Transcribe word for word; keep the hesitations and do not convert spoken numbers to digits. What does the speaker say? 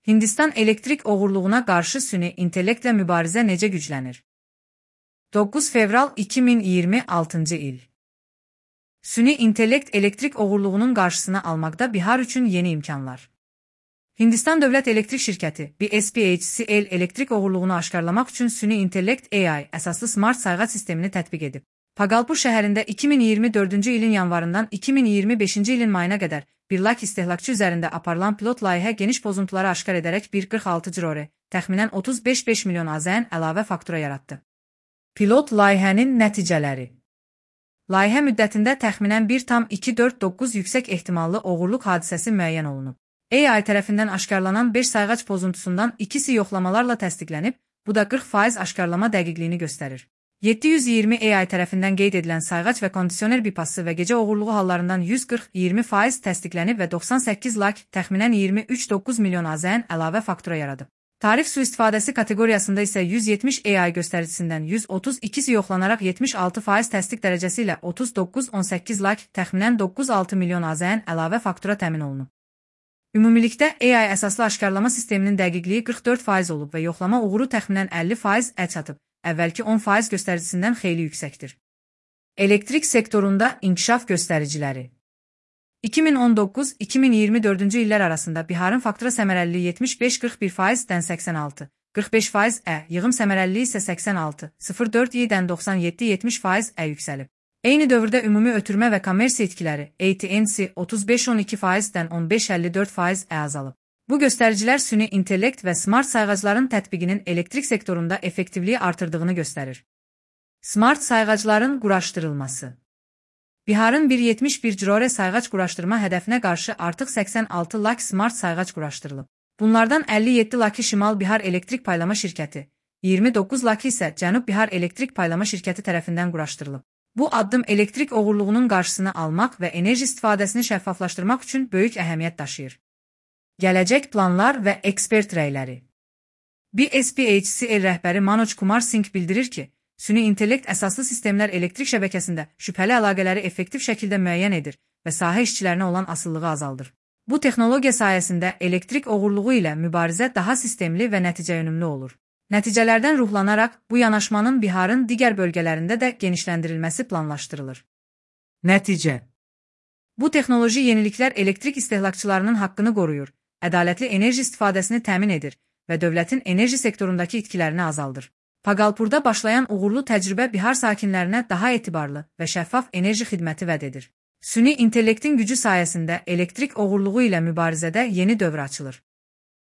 Hindistan elektrik oğurluğuna qarşı süni intellektlə mübarizə necə güclənir? doqquz fevral iki min iyirmi altıncı il. Süni intellekt elektrik oğurluğunun qarşısını almaqda Bihar üçün yeni imkanlar. Hindistan Dövlət Elektrik Şirkəti B S P H C L elektrik oğurluğunu aşkarlamaq üçün süni intellekt A I əsaslı smart sayğac sistemini tətbiq edib. Pagalpur şəhərində iki min iyirmi dördüncü ilin yanvarından iki min iyirmi beşinci ilin mayına qədər bir lak istehlakçı üzərində aparılan pilot layihə geniş pozuntuları aşkar edərək bir qırx altı cirore, təxminən otuz beş beş milyon AZN əlavə faktura yaratdı. Pilot layihənin nəticələri. Layihə müddətində təxminən bir tam iki dörd doqquz yüksək ehtimallı oğurluq hadisəsi müəyyən olunub. A I tərəfindən aşkarlanan beş sayğac pozuntusundan ikisi yoxlamalarla təsdiqlənib, bu da qırx faiz aşkarlama dəqiqliyini göstərir. yeddi yüz iyirmi A I tərəfindən qeyd edilən sayğac və kondisioner bipası və gecə oğurluğu hallarından yüz qırx iyirmi faiz təsdiqlənib və doxsan səkkiz lak təxminən iyirmi üç doqquz milyon AZN əlavə faktura yaradıb. Tarif suistifadəsi kateqoriyasında isə yüz yetmiş A I göstəricisindən yüz otuz ikisi yoxlanaraq yetmiş altı faiz təsdiq dərəcəsi ilə otuz doqquz on səkkiz lak təxminən doqquz altı milyon AZN əlavə faktura təmin olunub. Ümumilikdə A I əsaslı aşkarlama sisteminin dəqiqliyi qırx dörd faiz olub və yoxlama uğuru təxminən əlli faiz ə çatıb, əvvəlki on faiz göstəricisindən xeyli yüksəkdir. Elektrik sektorunda inkişaf göstəriciləri. iki min on doqquz iki min iyirmi dördüncü illər arasında Biharın faktura səmərəliliyi yetmiş beş qırx bir faizdən səksən altı, qırx beş faiz ə, yığım səmərəliliyi isə səksən altı, sıfır dörd i-dən doxsan yeddi yetmiş faiz ə yüksəlib. Eyni dövrdə ümumi ötürmə və kommersiya itkiləri A T N C otuz beş on iki faizdən on beş əlli dörd faiz ə azalıb. Bu göstəricilər süni intellekt və smart sayğacların tətbiqinin elektrik sektorunda effektivliyi artırdığını göstərir. Smart sayğacların quraşdırılması. Biharın bir yetmiş bir cirore sayğac quraşdırma hədəfinə qarşı artıq səksən altı lak smart sayğac quraşdırılıb. Bunlardan əlli yeddi lakı Şimal Bihar Elektrik Paylama Şirkəti, iyirmi doqquz lakı isə Cənub Bihar Elektrik Paylama Şirkəti tərəfindən quraşdırılıb. Bu addım elektrik oğurluğunun qarşısını almaq və enerji istifadəsini şəffaflaşdırmaq üçün böyük əhəmiyyət daşıyır. Gələcək planlar və ekspert rəyləri. B S P H C L rəhbəri Manoj Kumar Singh bildirir ki, süni intellekt əsaslı sistemlər elektrik şəbəkəsində şübhəli əlaqələri effektiv şəkildə müəyyən edir və sahə işçilərinə olan asılılığı azaldır. Bu texnologiya sayəsində elektrik oğurluğu ilə mübarizə daha sistemli və nəticəyönümlü olur. Nəticələrdən ruhlanaraq bu yanaşmanın Biharın digər bölgələrində də genişləndirilməsi planlaşdırılır. Nəticə. Bu texnoloji yeniliklər elektrik istehlakçılarının haqqını qoruyur, ədalətli enerji istifadəsini təmin edir və dövlətin enerji sektorundakı itkilərini azaldır. Pagalpurda başlayan uğurlu təcrübə Bihar sakinlərinə daha etibarlı və şəffaf enerji xidməti vəd edir. Süni intellektin gücü sayəsində elektrik oğurluğu ilə mübarizədə yeni dövr açılır.